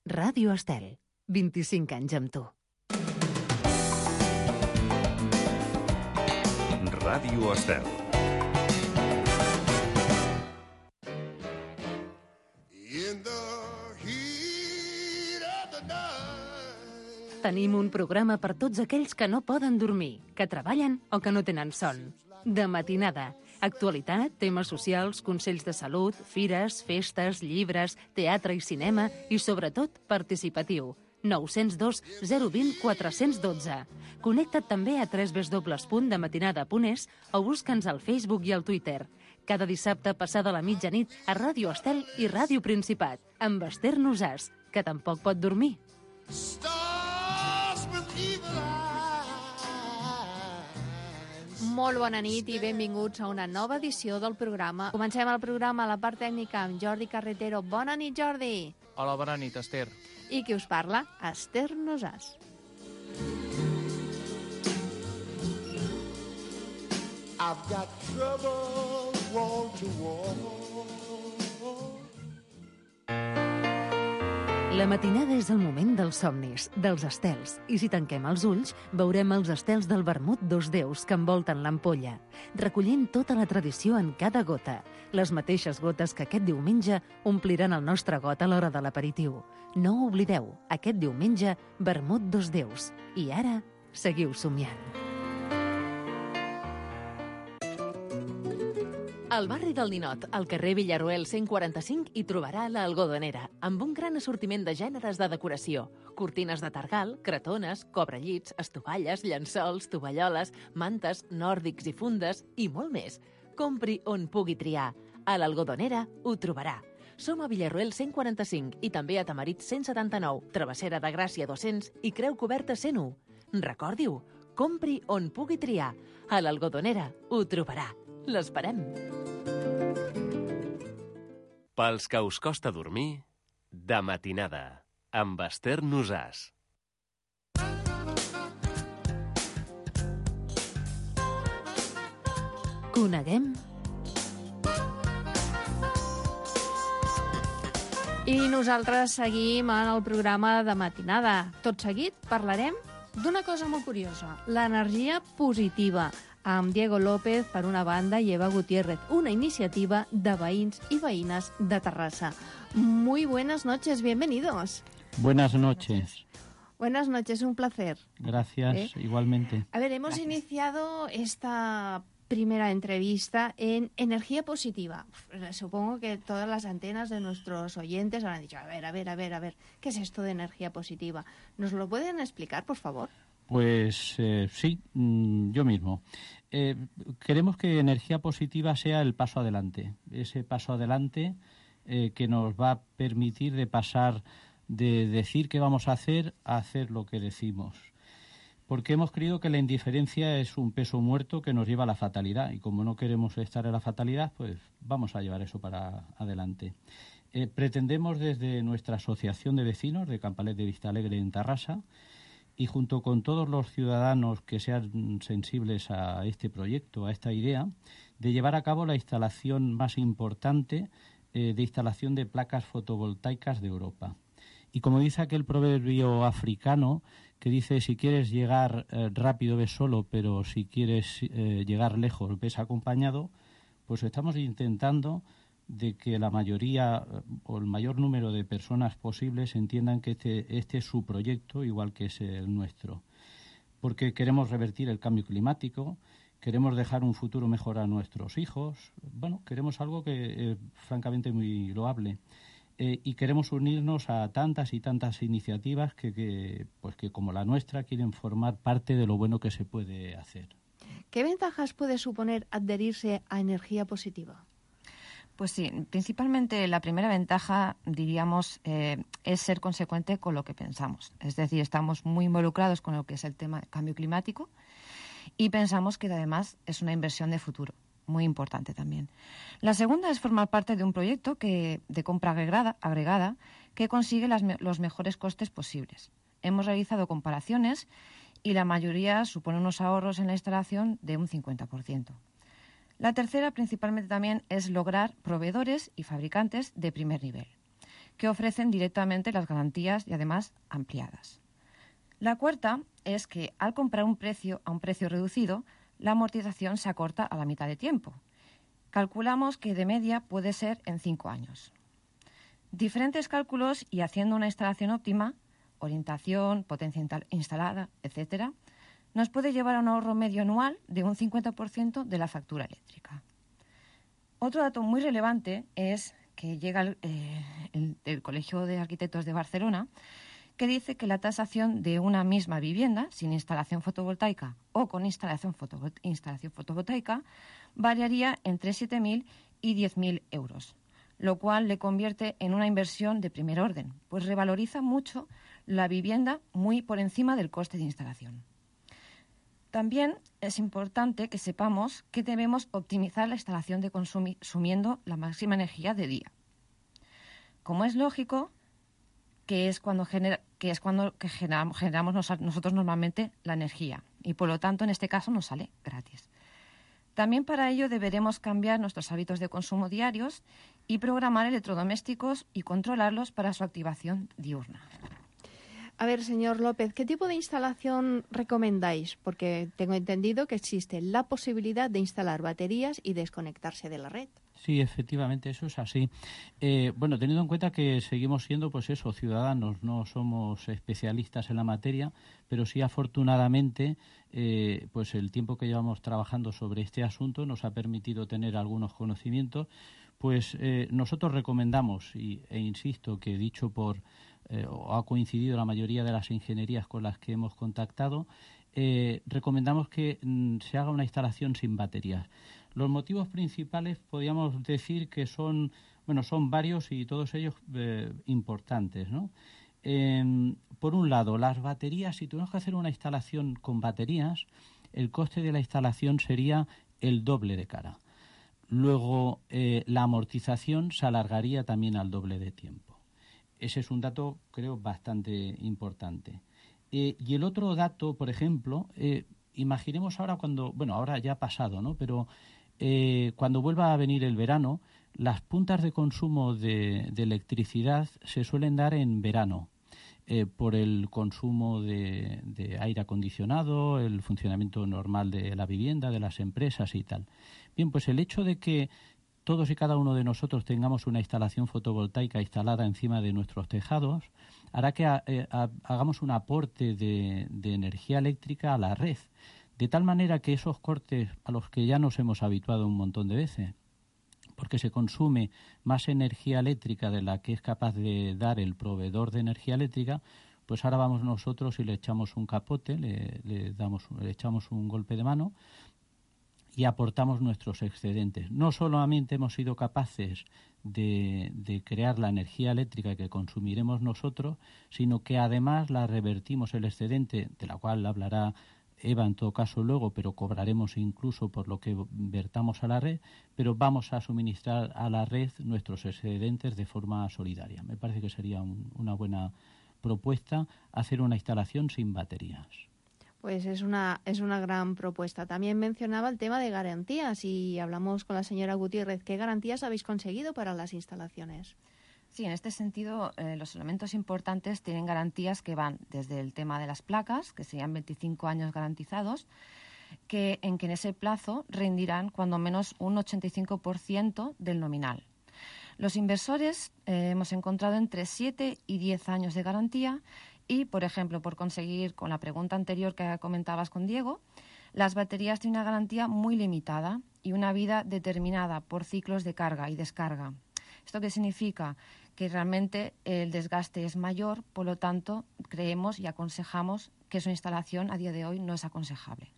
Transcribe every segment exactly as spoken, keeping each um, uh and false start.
Ràdio Estel, vint-i-cinc anys amb tu. Ràdio Estel. Tenim un programa per tots aquells que no poden dormir, que treballen o que no tenen son. De matinada, actualitat, temes socials, consells de salut, fires, festes, llibres, teatre i cinema i, sobretot, participatiu. nou zero dos zero dos zero quatre un dos. Connecta't també a w w w punt dematinada punt es o busca'ns al Facebook i al Twitter. Cada dissabte passada la mitjanit a Ràdio Estel i Ràdio Principat, amb Esther Nosàs, que tampoc pot dormir. Molt bona nit i benvinguts a una nova edició del programa. Comencem el programa a la part tècnica amb Jordi Carretero. Bona nit, Jordi. Hola, bona nit, Esther. I qui us parla? Esther Nosàs. I've got trouble wall to wall. La matinada és el moment dels somnis, dels estels, i si tanquem els ulls, veurem els estels del vermut dos déus que envolten l'ampolla, recollint tota la tradició en cada gota, les mateixes gotes que aquest diumenge ompliran el nostre got a l'hora de l'aperitiu. No ho oblideu, aquest diumenge, vermut dos déus. I ara, seguiu somiant. Al barri del Ninot, al carrer Villaruel cent quaranta-cinc, hi trobarà l'Algodonera, amb un gran assortiment de gèneres de decoració. Cortines de targal, cretones, cobrellits, estovalles, llençols, tovalloles, mantes, nòrdics i fundes i molt més. Compri on pugui triar. A l'Algodonera ho trobarà. Som a Villaruel cent quaranta-cinc i també a Tamarit cent setanta-nou, Travessera de Gràcia dos-cents i Creu Coberta cent u. Recordi-ho, compri on pugui triar. A l'Algodonera ho trobarà. L'esperem. Pels que us costa dormir, de matinada, amb Esther Nosàs. Coneguem... I nosaltres seguim en el programa de matinada. Tot seguit parlarem d'una cosa molt curiosa, l'energia positiva, amb Diego López, per una banda, i Eva Gutiérrez, una iniciativa de veïns i veïnes de Terrassa. Muy buenas noches, bienvenidos. Buenas noches. Buenas noches, un placer. Gracias, ¿Eh? Igualmente. A ver, hemos Gracias. iniciado esta primera entrevista en energía positiva. Supongo que todas las antenas de nuestros oyentes habrán dicho, a ver, a ver, a ver, a ver, ¿qué es esto de energía positiva? ¿Nos lo pueden explicar, por favor? Pues eh, sí, yo mismo. Eh, queremos que energía positiva sea el paso adelante, ese paso adelante eh, que nos va a permitir de pasar de decir qué vamos a hacer a hacer lo que decimos. Porque hemos creído que la indiferencia es un peso muerto que nos lleva a la fatalidad y como no queremos estar en la fatalidad, pues vamos a llevar eso para adelante. Eh, pretendemos desde nuestra asociación de vecinos de Campalet de Vistalegre en Tarrasa y junto con todos los ciudadanos que sean sensibles a este proyecto, a esta idea, de llevar a cabo la instalación más importante eh, de instalación de placas fotovoltaicas de Europa. Y como dice aquel proverbio africano que dice, si quieres llegar eh, rápido ves solo, pero si quieres eh, llegar lejos ves acompañado, pues estamos intentando de que la mayoría o el mayor número de personas posibles entiendan que este, este es su proyecto, igual que es el nuestro. Porque queremos revertir el cambio climático, queremos dejar un futuro mejor a nuestros hijos, bueno, queremos algo que es francamente muy loable. Eh, y queremos unirnos a tantas y tantas iniciativas que, que, pues que, como la nuestra, quieren formar parte de lo bueno que se puede hacer. ¿Qué ventajas puede suponer adherirse a energía positiva? Pues sí, principalmente la primera ventaja, diríamos, eh, es ser consecuente con lo que pensamos. Es decir, estamos muy involucrados con lo que es el tema del cambio climático y pensamos que además es una inversión de futuro, muy importante también. La segunda es formar parte de un proyecto que, de compra agregada, agregada que consigue las, los mejores costes posibles. Hemos realizado comparaciones y la mayoría supone unos ahorros en la instalación de un cincuenta por ciento. La tercera, principalmente también, es lograr proveedores y fabricantes de primer nivel, que ofrecen directamente las garantías y además ampliadas. La cuarta es que al comprar un precio a un precio reducido, la amortización se acorta a la mitad de tiempo. Calculamos que de media puede ser en cinco años. Diferentes cálculos y haciendo una instalación óptima, orientación, potencia instalada, etcétera, nos puede llevar a un ahorro medio anual de un cincuenta por ciento de la factura eléctrica. Otro dato muy relevante es que llega el, eh, el, el Colegio de Arquitectos de Barcelona, que dice que la tasación de una misma vivienda sin instalación fotovoltaica o con instalación, fotovol- instalación fotovoltaica variaría entre siete mil y diez mil euros, lo cual le convierte en una inversión de primer orden, pues revaloriza mucho la vivienda muy por encima del coste de instalación. También es importante que sepamos que debemos optimizar la instalación de consumiendo la máxima energía de día. Como es lógico, que es cuando, genera, que es cuando que generamos, generamos nosotros normalmente la energía y, por lo tanto, en este caso nos sale gratis. También para ello deberemos cambiar nuestros hábitos de consumo diarios y programar electrodomésticos y controlarlos para su activación diurna. A ver, señor López, ¿qué tipo de instalación recomendáis? Porque tengo entendido que existe la posibilidad de instalar baterías y desconectarse de la red. Sí, efectivamente, eso es así. Eh, bueno, teniendo en cuenta que seguimos siendo, pues eso, ciudadanos, no somos especialistas en la materia, pero sí, afortunadamente, eh, pues el tiempo que llevamos trabajando sobre este asunto nos ha permitido tener algunos conocimientos. Pues eh, nosotros recomendamos, y, e insisto, que dicho por, eh, o ha coincidido la mayoría de las ingenierías con las que hemos contactado, eh, recomendamos que mm, se haga una instalación sin baterías. Los motivos principales podríamos decir que son, bueno, son varios y todos ellos eh, importantes, ¿no? Eh, por un lado, las baterías, si tuviéramos que hacer una instalación con baterías, el coste de la instalación sería el doble de cara. Luego, eh, la amortización se alargaría también al doble de tiempo. Ese es un dato, creo, bastante importante. Eh, y el otro dato, por ejemplo, eh, imaginemos ahora cuando, bueno, ahora ya ha pasado, ¿no? Pero eh, cuando vuelva a venir el verano, las puntas de consumo de, de electricidad se suelen dar en verano. Eh, por el consumo de, de aire acondicionado, el funcionamiento normal de la vivienda, de las empresas y tal. Bien, pues el hecho de que todos y cada uno de nosotros tengamos una instalación fotovoltaica instalada encima de nuestros tejados hará que a, a, hagamos un aporte de, de energía eléctrica a la red, de tal manera que esos cortes a los que ya nos hemos habituado un montón de veces, porque se consume más energía eléctrica de la que es capaz de dar el proveedor de energía eléctrica, pues ahora vamos nosotros y le echamos un capote, le, le, damos, le echamos un golpe de mano y aportamos nuestros excedentes. No solamente hemos sido capaces de, de crear la energía eléctrica que consumiremos nosotros, sino que además la revertimos el excedente, de la cual hablará Eva en todo caso luego, pero cobraremos incluso por lo que vertamos a la red, pero vamos a suministrar a la red nuestros excedentes de forma solidaria. Me parece que sería un, una buena propuesta hacer una instalación sin baterías. Pues es una, es una gran propuesta. También mencionaba el tema de garantías y hablamos con la señora Gutiérrez. ¿Qué garantías habéis conseguido para las instalaciones? Sí, en este sentido, eh, los elementos importantes tienen garantías que van desde el tema de las placas, que serían veinticinco años garantizados, que en que en ese plazo rendirán cuando menos un ochenta y cinco por ciento del nominal. Los inversores eh, hemos encontrado entre siete y diez años de garantía y, por ejemplo, por conseguir, con la pregunta anterior que comentabas con Diego, las baterías tienen una garantía muy limitada y una vida determinada por ciclos de carga y descarga. ¿Esto qué significa? Que realmente el desgaste es mayor, por lo tanto, creemos y aconsejamos que su instalación a día de hoy no es aconsejable.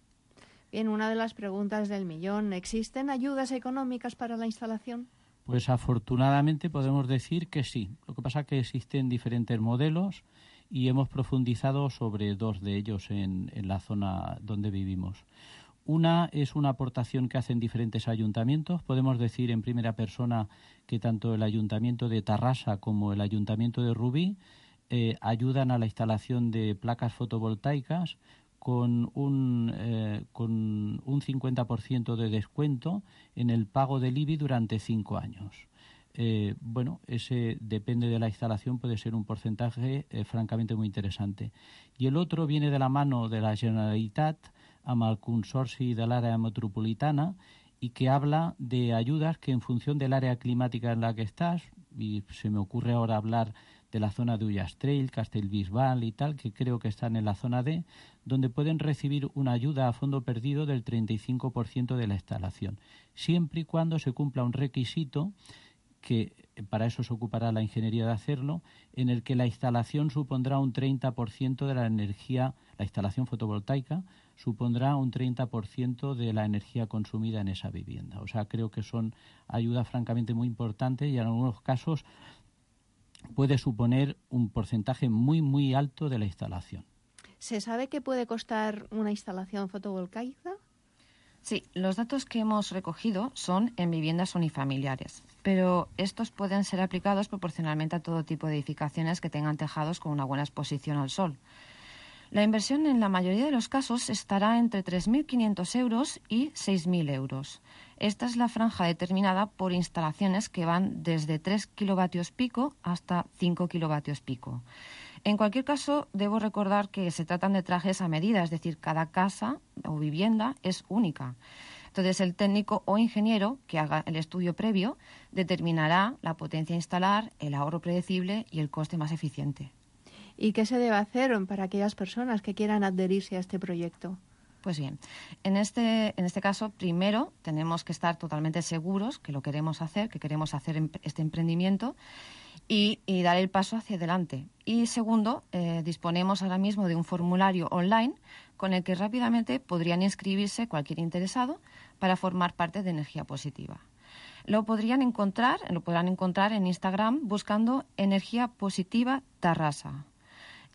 Bien, una de las preguntas del millón, ¿existen ayudas económicas para la instalación? Pues afortunadamente podemos decir que sí. Lo que pasa es que existen diferentes modelos y hemos profundizado sobre dos de ellos en, en la zona donde vivimos. Una es una aportación que hacen diferentes ayuntamientos. Podemos decir en primera persona que tanto el Ayuntamiento de Tarrasa como el Ayuntamiento de Rubí eh, ayudan a la instalación de placas fotovoltaicas con un, eh, con un cincuenta por ciento de descuento en el pago del I B I durante cinco años. eh, bueno, ese depende de la instalación, puede ser un porcentaje eh, francamente muy interesante. I l'altre viene de la mano de la Generalitat amb el Consorci de l'Àrea Metropolitana y que habla de ayudas que en función del área climática en la que estás, y se me ocurre ahora hablar de la zona de Ullastrell, Castellbisbal y tal, que creo que están en la zona D, donde pueden recibir una ayuda a fondo perdido del treinta y cinco por ciento de la instalación, siempre y cuando se cumpla un requisito que para eso se ocupará la ingeniería de hacerlo, en el que la instalación supondrá un treinta por ciento de la energía, la instalación fotovoltaica supondrá un treinta por ciento de la energía consumida en esa vivienda. O sea, creo que son ayudas francamente muy importantes y en algunos casos puede suponer un porcentaje muy, muy alto de la instalación. ¿Se sabe qué puede costar una instalación fotovoltaica? Sí, los datos que hemos recogido son en viviendas unifamiliares, pero estos pueden ser aplicados proporcionalmente a todo tipo de edificaciones que tengan tejados con una buena exposición al sol. La inversión en la mayoría de los casos estará entre tres mil quinientos euros y seis mil euros. Esta es la franja determinada por instalaciones que van desde tres kilovatios pico hasta cinco kilovatios pico. En cualquier caso, debo recordar que se tratan de trajes a medida, es decir, cada casa o vivienda es única. Entonces, el técnico o ingeniero que haga el estudio previo determinará la potencia a instalar, el ahorro predecible y el coste más eficiente. ¿Y qué se debe hacer para aquellas personas que quieran adherirse a este proyecto? Pues bien, en este, en este caso, primero tenemos que estar totalmente seguros que lo queremos hacer, que queremos hacer este emprendimiento y, y dar el paso hacia adelante. Y segundo, eh, disponemos ahora mismo de un formulario online con el que rápidamente podrían inscribirse cualquier interesado para formar parte de Energía Positiva. Lo podrían encontrar, lo podrán encontrar en Instagram buscando Energía Positiva Tarrasa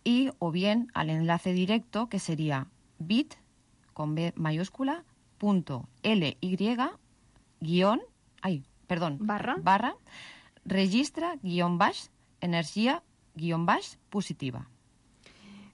y o bien al enlace directo que sería bit con B mayúscula punto ly guión ay perdón barra barra registra guión baix energía guión baix positiva.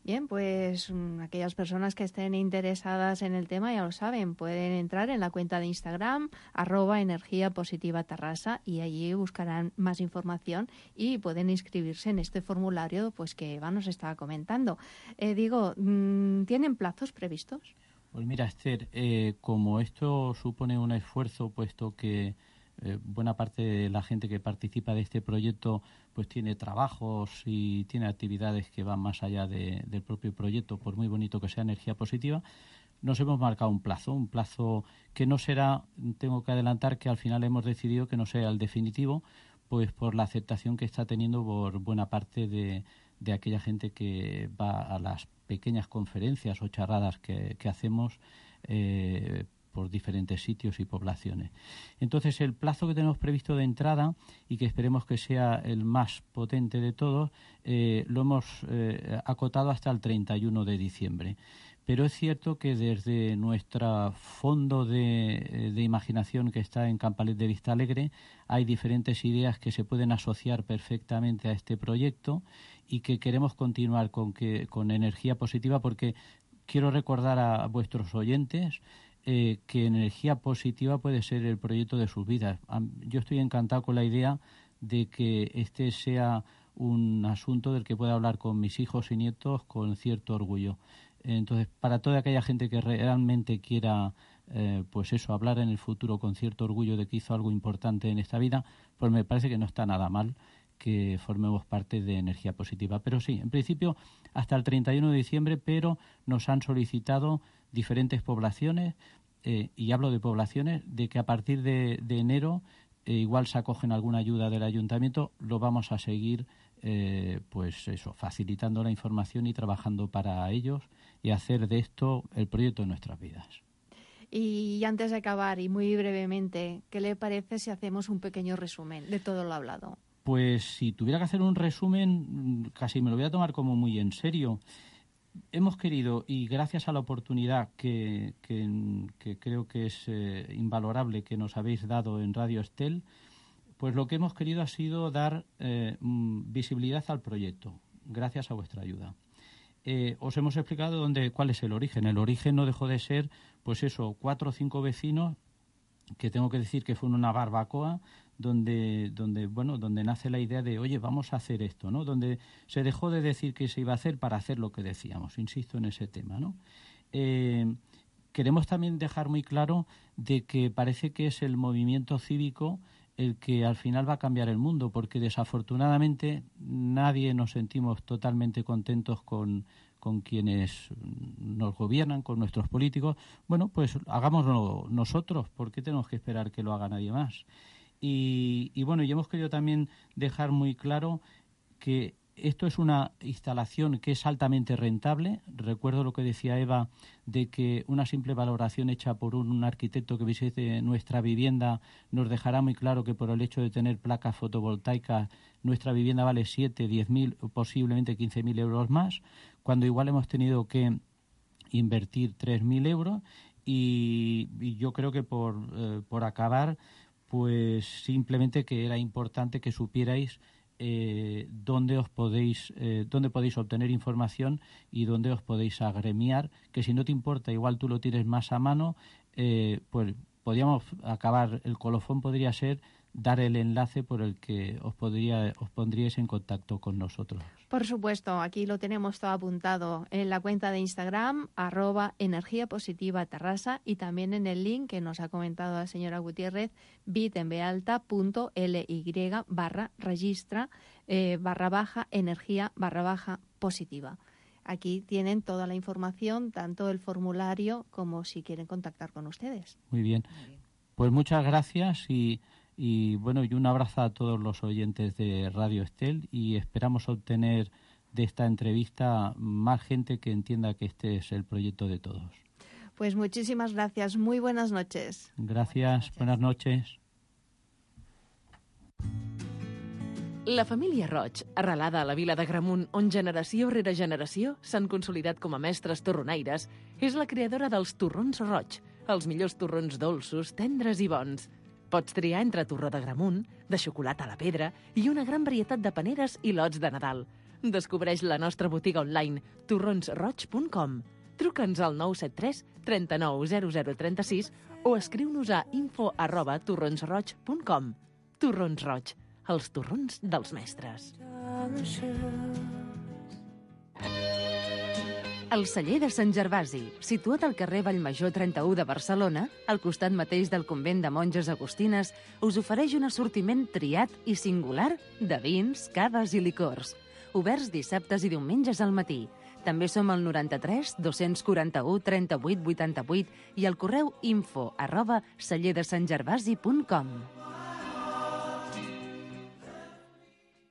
Bien, pues aquellas personas que estén interesadas en el tema ya lo saben, pueden entrar en la cuenta de Instagram arroba energía positiva Tarrasa y allí buscarán más información y pueden inscribirse en este formulario pues que Eva nos estaba comentando. Eh, digo, ¿tienen plazos previstos? Pues mira, Esther, eh, como esto supone un esfuerzo, puesto que eh, buena parte de la gente que participa de este proyecto pues tiene trabajos y tiene actividades que van más allá de, del propio proyecto, por muy bonito que sea Energía Positiva, nos hemos marcado un plazo, un plazo que no será, tengo que adelantar que al final hemos decidido que no sea el definitivo, pues por la aceptación que está teniendo por buena parte de, de aquella gente que va a las pequeñas conferencias o charradas que, que hacemos eh, por diferentes sitios y poblaciones. Entonces, el plazo que tenemos previsto de entrada y que esperemos que sea el más potente de todos, eh, lo hemos eh, acotado hasta el treinta y uno de diciembre. Pero es cierto que desde nuestro fondo de, de imaginación que está en Campalet de Vista Alegre hay diferentes ideas que se pueden asociar perfectamente a este proyecto y que queremos continuar con, que, con Energía Positiva porque quiero recordar a vuestros oyentes eh, que Energía Positiva puede ser el proyecto de sus vidas. Yo estoy encantado con la idea de que este sea un asunto del que pueda hablar con mis hijos y nietos con cierto orgullo. Entonces, para toda aquella gente que realmente quiera, eh, pues eso, hablar en el futuro con cierto orgullo de que hizo algo importante en esta vida, pues me parece que no está nada mal que formemos parte de Energía Positiva. Pero sí, en principio hasta el treinta y uno de diciembre, pero nos han solicitado diferentes poblaciones, eh, y hablo de poblaciones, de que a partir de, de enero eh, igual se acogen alguna ayuda del ayuntamiento, lo vamos a seguir Eh, pues eso, facilitando la información y trabajando para ellos y hacer de esto el proyecto de nuestras vidas. Y antes de acabar, y muy brevemente, ¿qué le parece si hacemos un pequeño resumen de todo lo hablado? Pues si tuviera que hacer un resumen, casi me lo voy a tomar como muy en serio. Hemos querido, y gracias a la oportunidad que, que, que creo que es eh, invalorable que nos habéis dado en Radio Estel, pues lo que hemos querido ha sido dar eh, visibilidad al proyecto, gracias a vuestra ayuda. Eh, os hemos explicado dónde, cuál es el origen. El origen no dejó de ser, pues eso, cuatro o cinco vecinos, que tengo que decir que fue una barbacoa, donde, donde, bueno, donde nace la idea de, oye, vamos a hacer esto, ¿no? Donde se dejó de decir que se iba a hacer para hacer lo que decíamos. Insisto en ese tema, ¿no? Eh, queremos también dejar muy claro de que parece que es el movimiento cívico el que al final va a cambiar el mundo, porque desafortunadamente nadie nos sentimos totalmente contentos con, con quienes nos gobiernan, con nuestros políticos. Bueno, pues hagámoslo nosotros, ¿por qué tenemos que esperar que lo haga nadie más? Y, y bueno, y hemos querido también dejar muy claro que esto es una instalación que es altamente rentable. Recuerdo lo que decía Eva, de que una simple valoración hecha por un, un arquitecto que visite nuestra vivienda nos dejará muy claro que por el hecho de tener placas fotovoltaicas nuestra vivienda vale siete, diez mil, posiblemente quince mil euros más, cuando igual hemos tenido que invertir tres mil euros. Y, y yo creo que por, eh, por acabar, pues simplemente que era importante que supierais Eh, dónde os podéis eh, dónde podéis obtener información y dónde os podéis agremiar, que si no te importa, igual tú lo tienes más a mano, eh, pues podríamos acabar, el colofón podría ser dar el enlace por el que os podría os pondríais en contacto con nosotros. Por supuesto, aquí lo tenemos todo apuntado en la cuenta de Instagram, arroba energía positiva Terrassa, y también en el link que nos ha comentado la señora Gutiérrez, bit.ly barra registra eh, barra baja energía barra baja positiva. Aquí tienen toda la información, tanto el formulario como si quieren contactar con ustedes. Muy bien. Pues muchas gracias y Y bueno, y un abrazo a todos los oyentes de Radio Estel, y esperamos obtener de esta entrevista más gente que entienda que este es el proyecto de todos. Pues muchísimas gracias. Muy buenas noches. Gracias. Buenas noches. La família Roig, arrelada a la vila de Gramunt, on generació rere generació s'han consolidat com a mestres torronaires, és la creadora dels torrons Roig, els millors torrons dolços, tendres i bons. Pots triar entre torró de Gramunt, de xocolata a la pedra i una gran varietat de paneres i lots de Nadal. Descobreix la nostra botiga online torrons roig punt com. Truca'ns al nou set tres, trenta-nou, zero zero, trenta-sis o escriu-nos a info arroba torronsroig punt com. Torrons Roig, els torrons dels mestres. El celler de Sant Gervasi, situat al carrer Vallmajor trenta-u de Barcelona, al costat mateix del convent de monges agustines, us ofereix un assortiment triat i singular de vins, caves i licors. Oberts dissabtes i diumenges al matí. També som al noranta-tres, dos-cents quaranta-u, trenta-vuit, vuitanta-vuit i al correu info arroba celler de sant gervasi punt com.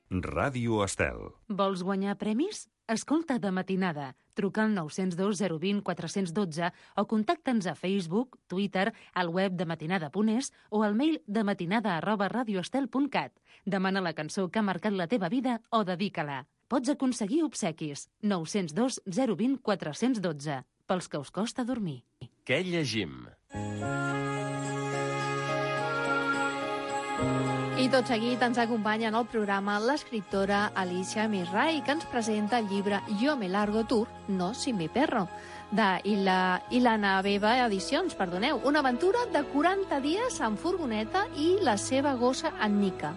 Ràdio Estel. Vols guanyar premis? Escolta De Matinada. Truca al nou zero dos, zero dos zero, quatre un dos o contacta'ns a Facebook, Twitter, al web de matinada punt es o al mail dematinada arroba radioestel punt cat. Demana la cançó que ha marcat la teva vida o dedica-la. Pots aconseguir obsequis. nou zero dos, zero dos zero, quatre un dos. Pels que us costa dormir. Què llegim? I tot seguit ens acompanya en el programa l'escriptora Alicia Misrai, que ens presenta el llibre Yo me largo tour, no sin mi perro, de Ila, Ilana Beba Edicions, perdoneu. Una aventura de quaranta dies en furgoneta i la seva gossa en Nica.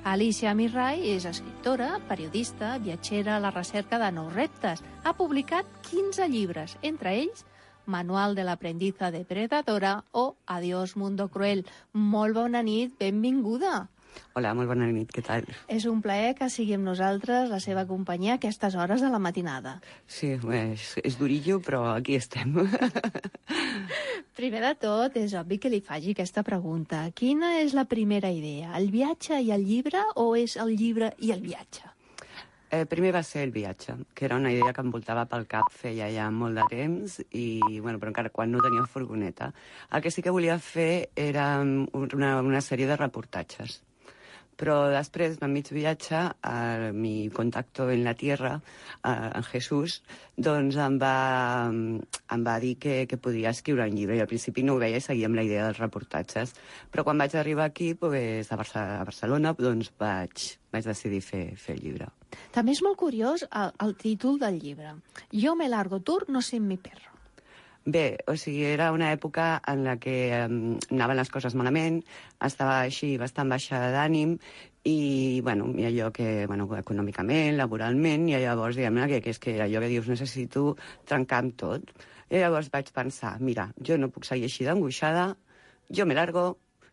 Alicia Misrai és escriptora, periodista, viatgera a la recerca de nous reptes. Ha publicat quinze llibres, entre ells Manual de l'aprendiza depredadora o Adiós mundo cruel. Molt bona nit, benvinguda. Hola, molt bona nit, què tal? És un plaer que sigui amb nosaltres la seva companyia a aquestes hores de la matinada. Sí, és, és durillo, però aquí estem. Primer de tot, és obvi que li faci aquesta pregunta. Quina és la primera idea? El viatge i el llibre o és el llibre i el viatge? Eh, primer va ser el viatge, que era una idea que em voltava pel cap feia ja molt de temps, i, bueno, però encara quan no tenia furgoneta. El que sí que volia fer era una, una sèrie de reportatges. Però després, a mig viatge, a mi contacto en la tierra, a, en Jesús, doncs em va, em va dir que, que podia escriure un llibre. I al principi no ho veia i seguia amb la idea dels reportatges. Però quan vaig arribar aquí, pues, a, Barça, a Barcelona, doncs vaig, vaig decidir fer, fer el llibre. També és molt curiós el, el títol del llibre. Yo me largo tour, no sin mi perro. Bé, o sigui, era una època en la que um, anaven les coses malament, estava així bastant baixa d'ànim, i, bueno, i allò que, bueno, econòmicament, laboralment, i llavors, diguem-ne, que, que és que allò que dius, necessito trencar amb tot. I llavors vaig pensar, mira, jo no puc seguir així d'angoixada, jo me largo,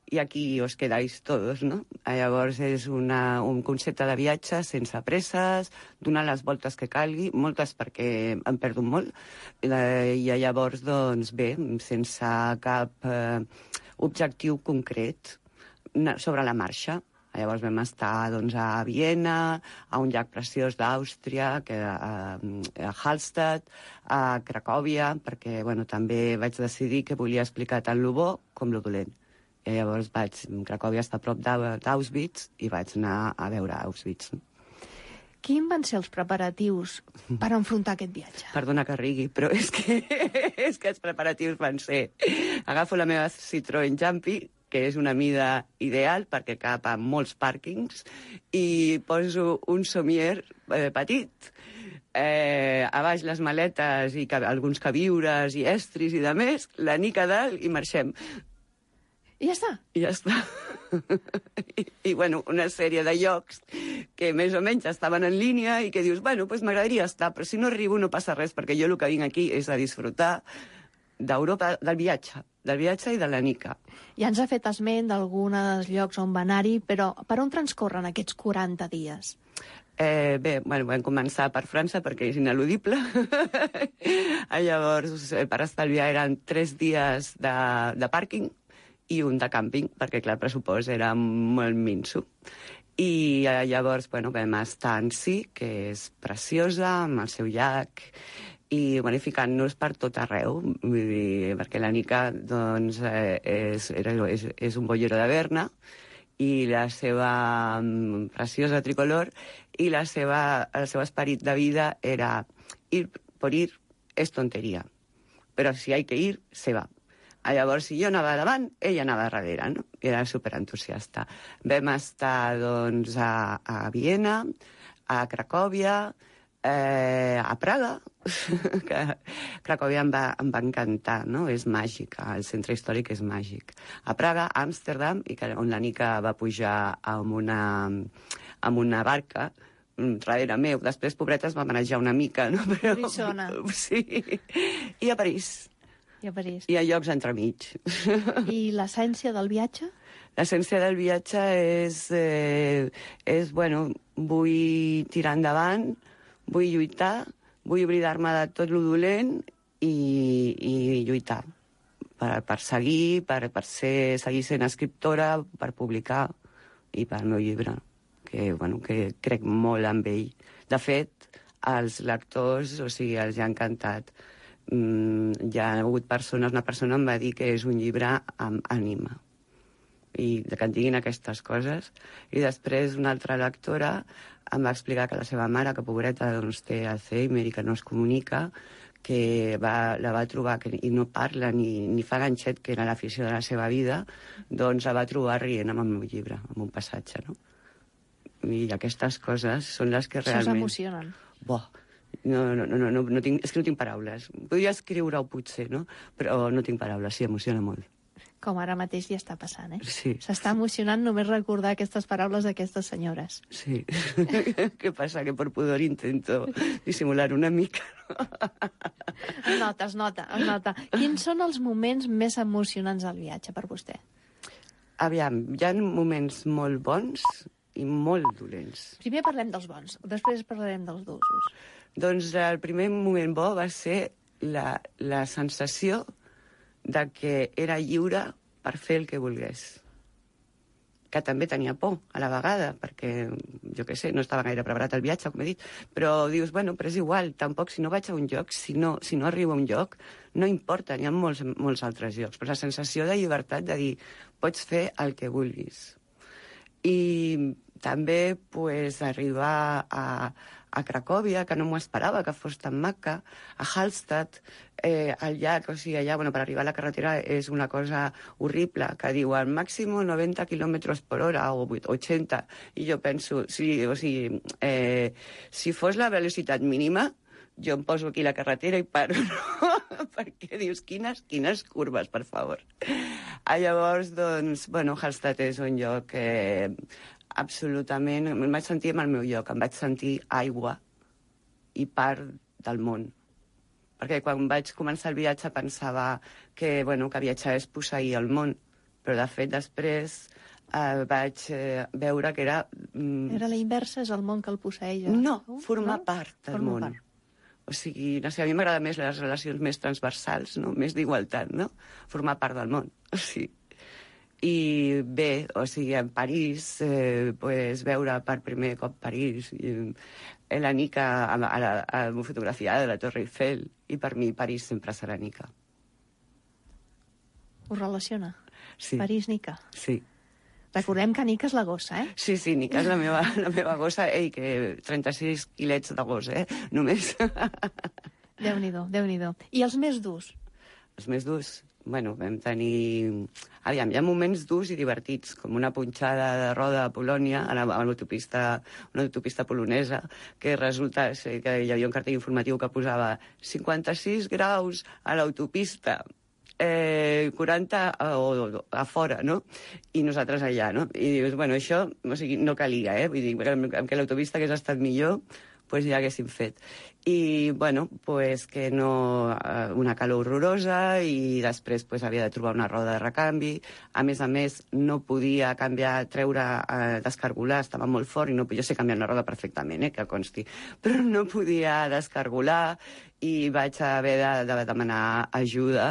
i aquí os quedáis todos, no? Llavors és una, un concepte de viatge sense presses, donar les voltes que calgui, moltes perquè em perdo molt, i llavors, doncs, bé, sense cap eh, objectiu concret sobre la marxa. Llavors vam estar, doncs, a Viena, a un llac preciós d'Àustria, que a, a Hallstatt, a Cracòvia, perquè, bueno, també vaig decidir que volia explicar tant lo bo com lo dolent. I llavors vaig... Cracòvia està a prop d'Auschwitz i vaig anar a veure Auschwitz. Quins van ser els preparatius per enfrontar aquest viatge? Perdona que rigui, però és que, és que els preparatius van ser... Agafo la meva Citroën Jumpy, que és una mida ideal perquè cap a molts pàrquings, i poso un somier eh, petit, eh, a baix les maletes i ca alguns queviures i estris i de més, la nica dalt i marxem. I ja està? I ja està. I, I, bueno, una sèrie de llocs que més o menys estaven en línia i que dius, bueno, pues m'agradaria estar, però si no arribo no passa res, perquè jo el que vinc aquí és a disfrutar d'Europa, del viatge, del viatge i de la nica. Ja ens ha fet esment d'alguns llocs on va anar-hi, però per on transcorren aquests quaranta dies? Eh, bé, bueno, vam començar per França perquè és ineludible. Llavors, per estalviar eren tres dies de, de pàrquing i un de càmping, perquè, clar, el pressupost era molt minso. I llavors, bueno, vam estar a Annecy, que és preciosa, amb el seu llac, i bueno, ficant-nos per tot arreu, vull dir, perquè la Nica, doncs, eh, és, és, és un bollero de Berna, i la seva um, preciosa tricolor, i la seva, el seu esperit de vida era ir por ir és tonteria, però si hay que ir, se va. Llavors, si jo anava davant, ella anava darrere, no? Era superentusiasta. Vam estar, doncs, a, a Viena, a Cracòvia, eh, a Praga, que Cracòvia em va, em va encantar, no? És màgica, el centre històric és màgic. A Praga, a Amsterdam, i que, on la Nica va pujar amb una, amb una barca, darrere meu. Després, pobreta, es va manejar una mica, no? Però, Frissona. Sí. I a París. I a París. I a llocs entremig. I l'essència del viatge? L'essència del viatge és, eh, és, bueno, vull tirar endavant, vull lluitar, vull oblidar-me de tot lo dolent i, i lluitar per, per seguir, per, per ser, seguir sent escriptora, per publicar i per el meu llibre, que, bueno, que crec molt en ell. De fet, als lectors, o sigui, els ha encantat. Mm, hi ha hagut persones, una persona em va dir que és un llibre amb ànima i que et diguin aquestes coses, i després una altra lectora em va explicar que la seva mare, que pobreta, doncs, té Alzheimer i que no es comunica, que va, la va trobar que, i no parla ni, ni fa ganxet, que era l'afició de la seva vida, doncs la va trobar rient amb el meu llibre, amb un passatge, no? I aquestes coses són les que realment... Això s'emocionen. Boh, No, no, no, no, no tinc, és que no tinc paraules. Podria escriure-ho potser, no? Però no tinc paraules, sí, emociona molt. Com ara mateix ja està passant, eh? Sí. S'està emocionant només recordar aquestes paraules d'aquestes senyores. Sí. Què passa? Que per pudor intento dissimular una mica. Es nota, es nota, es nota. Quins són els moments més emocionants del viatge per vostè? Aviam, hi ha moments molt bons i molt dolents. Primer parlem dels bons, després parlarem dels dolços. Doncs el primer moment bo va ser la, la sensació de que era lliure per fer el que volgués. Que també tenia por a la vegada, perquè, jo què sé, no estava gaire preparat el viatge, com he dit, però dius, bueno, però és igual, tampoc si no vaig a un lloc, si no, si no arribo a un lloc, no importa, n'hi ha molts, molts altres llocs, però la sensació de llibertat de dir, pots fer el que vulguis. I també, pues, arribar a, a Cracòvia, que no m'ho esperava, que fos tan maca, a Hallstatt, eh, al llac, o sigui, allà, bueno, per arribar a la carretera és una cosa horrible, que diuen màxim noventa quilòmetres per hora o ochenta, i jo penso, sí, o sigui, eh, si fos la velocitat mínima, jo em poso aquí la carretera i paro, no? perquè dius, quines, quines curves, per favor. Ah, llavors, doncs, bueno, Hallstatt és un lloc que absolutament... Em vaig sentir en el meu lloc, em vaig sentir aigua i part del món. Perquè quan vaig començar el viatge pensava que, bueno, que viatjar és posseir el món, però de fet després eh, vaig eh, veure que era... Mm, Era la inversa, és el món que el posseeix. no, formar no? part del Formar món. part. O sigui, no sé, a mi m'agrada més les relacions més transversals, no? Més d'igualtat, no? Formar part del món, o sigui. I bé, o sigui, en París, eh, pues, veure per primer cop París, i, eh, la Nica a, a, la, a la fotografia de la Torre Eiffel, i per mi París sempre serà Nica. Us relaciona? Sí. París-Nica. Sí. Recordem que Nica és la gossa, eh? Sí, sí, Nica és la meva, la meva gossa. Ei, que trenta-sis quilets de gos, eh? Només. Déu-n'hi-do, Déu-n'hi-do. I els més durs? Els més durs? Bueno, vam tenir... Aviam, hi ha moments durs i divertits, com una punxada de roda a Polònia, a l'autopista, una autopista polonesa, que resulta ser que hi havia un cartell informatiu que posava cinquanta-sis graus a l'autopista, eh, quaranta a, o, a fora, no? I nosaltres allà, no? I dius, bueno, això o sigui, no calia, eh? Vull dir, que l'autopista hagués estat millor, pues ja haguéssim fet. I, bueno, pues que no... Una calor horrorosa i després pues, havia de trobar una roda de recanvi. A més a més, no podia canviar, treure, eh, descargolar, estava molt fort i no, jo sé canviar una roda perfectament, eh, que consti, però no podia descargolar i vaig haver de, de demanar ajuda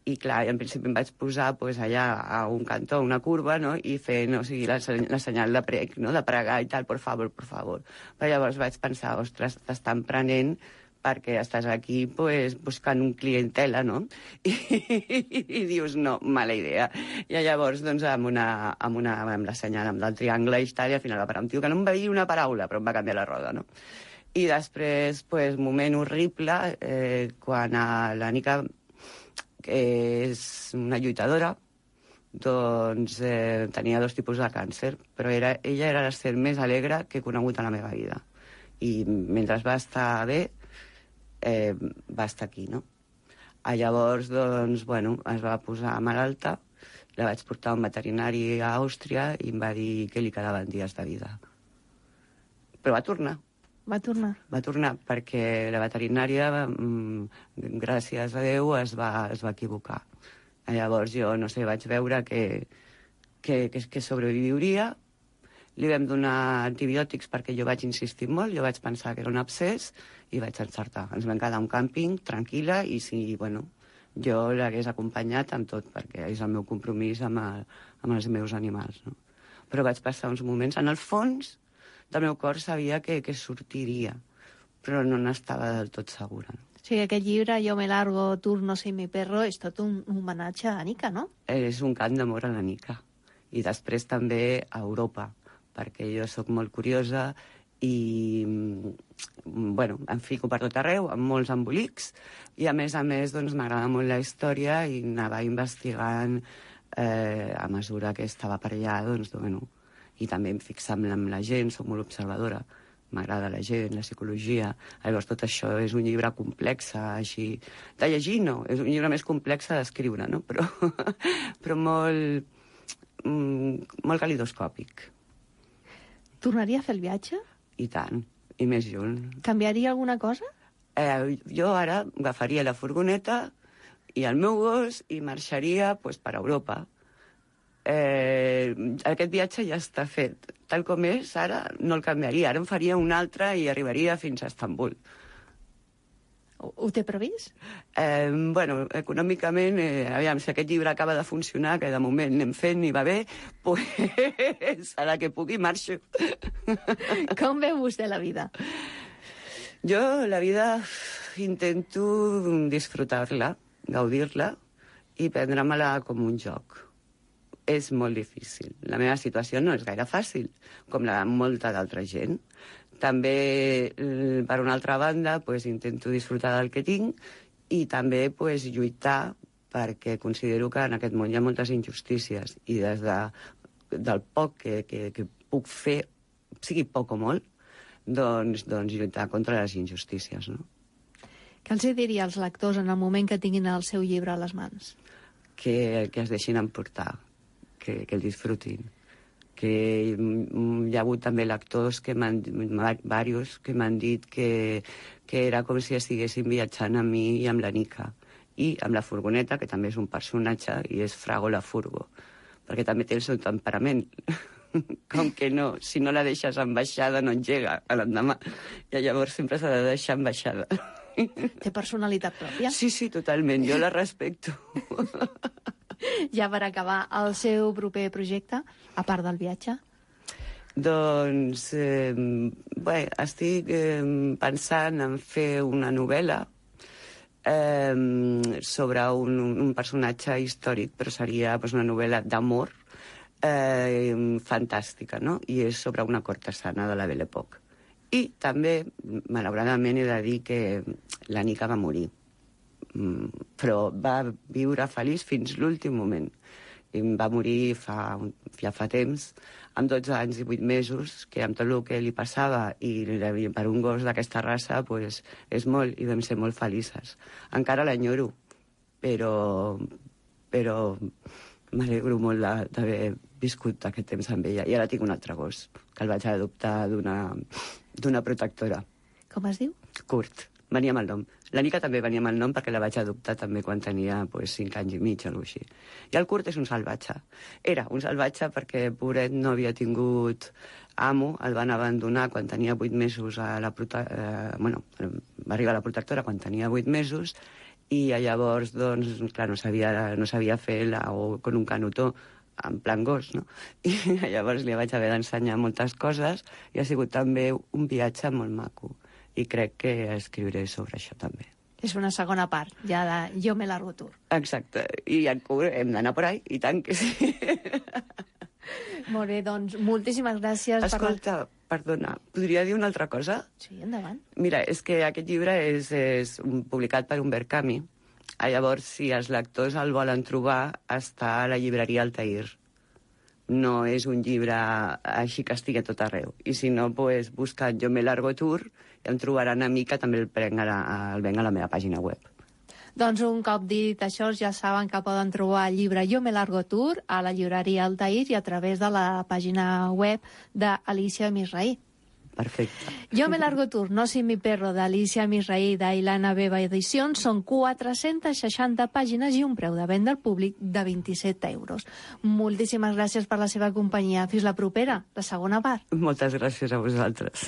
i clar, en principi em vaig posar pues, allà a un cantó, una curva, no? I fer, no, o sigui, la, la senyal de prec, no? De pregar i tal, por favor, por favor. Però llavors vaig pensar, ostres, t'estan prenent perquè estàs aquí pues, buscant un clientela, no? I, i, i dius, no, mala idea. I llavors, doncs, amb, una, amb, una, amb la senyal amb el triangle i tal, i al final va parar un tio que no em va dir una paraula, però em va canviar la roda, no? I després, pues, moment horrible, eh, quan a la Nica, que és una lluitadora, doncs eh, tenia dos tipus de càncer, però era, ella era la ser més alegre que he conegut a la meva vida. I mentre va estar bé, eh, va estar aquí, no? A llavors, doncs, bueno, es va posar malalta, la vaig portar a un veterinari a Àustria i em va dir que li quedaven dies de vida. Però va tornar. Va tornar? Va tornar, perquè la veterinària, mmm, gràcies a Déu, es va, es va equivocar. Llavors jo, no sé, vaig veure que, que, que, que sobreviuria. Li vam donar antibiòtics perquè jo vaig insistir molt, jo vaig pensar que era un abscés i vaig encertar. Ens vam quedar a un càmping, tranquil·la, i si, bueno, jo l'hagués acompanyat amb tot, perquè és el meu compromís amb, el, amb els meus animals, no? Però vaig passar uns moments, en el fons del meu cor sabia que, que sortiria, però no n'estava del tot segura. No? O sigui, aquest llibre, Jo me largo, turno sin mi perro, és tot un homenatge a Nica, no? És un cant d'amor a la Nica. I després també a Europa, perquè jo sóc molt curiosa i, bueno, em fico per tot arreu, amb molts embolics, i a més a més doncs, m'agrada molt la història i anava investigant eh, a mesura que estava per allà, doncs, bueno, i també em fixava amb la gent, soc molt observadora, m'agrada la gent, la psicologia. Llavors tot això és un llibre complex, així... De llegir no, és un llibre més complex d'escriure, no? Però, però molt, molt calidoscòpic. Tornaria a fer el viatge? I tant, i més lluny. Canviaria alguna cosa? Eh, jo ara agafaria la furgoneta i el meu gos i marxaria pues, per Europa. Eh, aquest viatge ja està fet. Tal com és, ara no el canviaria. Ara em faria un altre i arribaria fins a Estambul. Ho, ho té previst? Eh, bueno, econòmicament, eh, aviam, si aquest llibre acaba de funcionar, que de moment anem fent i va bé, pues, a la que pugui marxo. Com veu vostè la vida? Jo la vida intento disfrutar-la, gaudir-la i prendre-me-la com un joc. És molt difícil. La meva situació no és gaire fàcil, com la de molta d'altra gent. També, per una altra banda, pues, intento disfrutar del que tinc i també pues, lluitar perquè considero que en aquest món hi ha moltes injustícies i des de, del poc que, que, que puc fer, sigui poc o molt, doncs, doncs lluitar contra les injustícies, no? Què els diria als lectors en el moment que tinguin el seu llibre a les mans? Que, que es deixin emportar, que, que el disfrutin. Que hi ha hagut també lectors, que m'han, diversos, que m'han dit que, que era com si estiguessin viatjant amb mi i amb la Nica. I amb la furgoneta, que també és un personatge, i és Frago la Furgo, perquè també té el seu temperament. Com que no, si no la deixes en baixada no engega a l'endemà. I llavors sempre s'ha de deixar en baixada. Té personalitat pròpia? Sí, sí, totalment, jo la respecto. Ja per acabar, el seu proper projecte, a part del viatge? Doncs, eh, bé, estic eh, pensant en fer una novel·la eh, sobre un, un personatge històric, però seria pues, una novel·la d'amor eh, fantàstica, no? I és sobre una cortesana de la Belle Époque. I també, malauradament, he de dir que la Nica va morir. Mm, però va viure feliç fins l'últim moment. I va morir fa, ja fa temps, amb dotze anys i vuit mesos, que amb tot el que li passava i per un gos d'aquesta raça pues, és molt, i vam ser molt felices. Encara l'enyoro, però, però m'alegro molt d'haver viscut aquest temps amb ella. I ara tinc un altre gos, que el vaig adoptar d'una d'una protectora. Com es diu? Kurt. Venia amb el nom. La Nica també venia amb el nom perquè la vaig adoptar també quan tenia pues, cinc anys i mig o alguna cosa així. I el Kurt és un salvatge. Era un salvatge perquè, pobret, no havia tingut amo, el van abandonar quan tenia vuit mesos a la prote... eh, bueno, va arribar a la protectora quan tenia vuit mesos i llavors, doncs, clar, no sabia, no sabia fer la, o con un canutó en plan gos, no? I llavors li vaig haver d'ensenyar moltes coses i ha sigut també un viatge molt maco. I crec que escriuré sobre això també. És una segona part, ja de Jo me largo tour. Exacte. I en Cur hem d'anar por ahí, i tant que sí. Molt bé, doncs, moltíssimes gràcies. Escolta, per... perdona, podria dir una altra cosa? Sí, endavant. Mira, és que aquest llibre és, és un, publicat per Humbert Camus. Llavors, si els lectors el volen trobar, està a la llibreria Altair. No és un llibre així que estigui a tot arreu. I si no, pues, busca't Jo me largo tour i em trobaran a mi, que també el prenc a la, el venc a la meva pàgina web. Doncs un cop dit això, ja saben que poden trobar el llibre Jo me largo tour a la llibreria Altair i a través de la pàgina web d'Alicia Misraí. Perfecte. Jo me largo tour, No sin mi perro, d'Alicia Misraí, d'Ailana Beba Edicions, són quatre-centes seixanta pàgines i un preu de venda al públic de vint-i-set euros. Moltíssimes gràcies per la seva companyia. Fins la propera, la segona part. Moltes gràcies a vosaltres.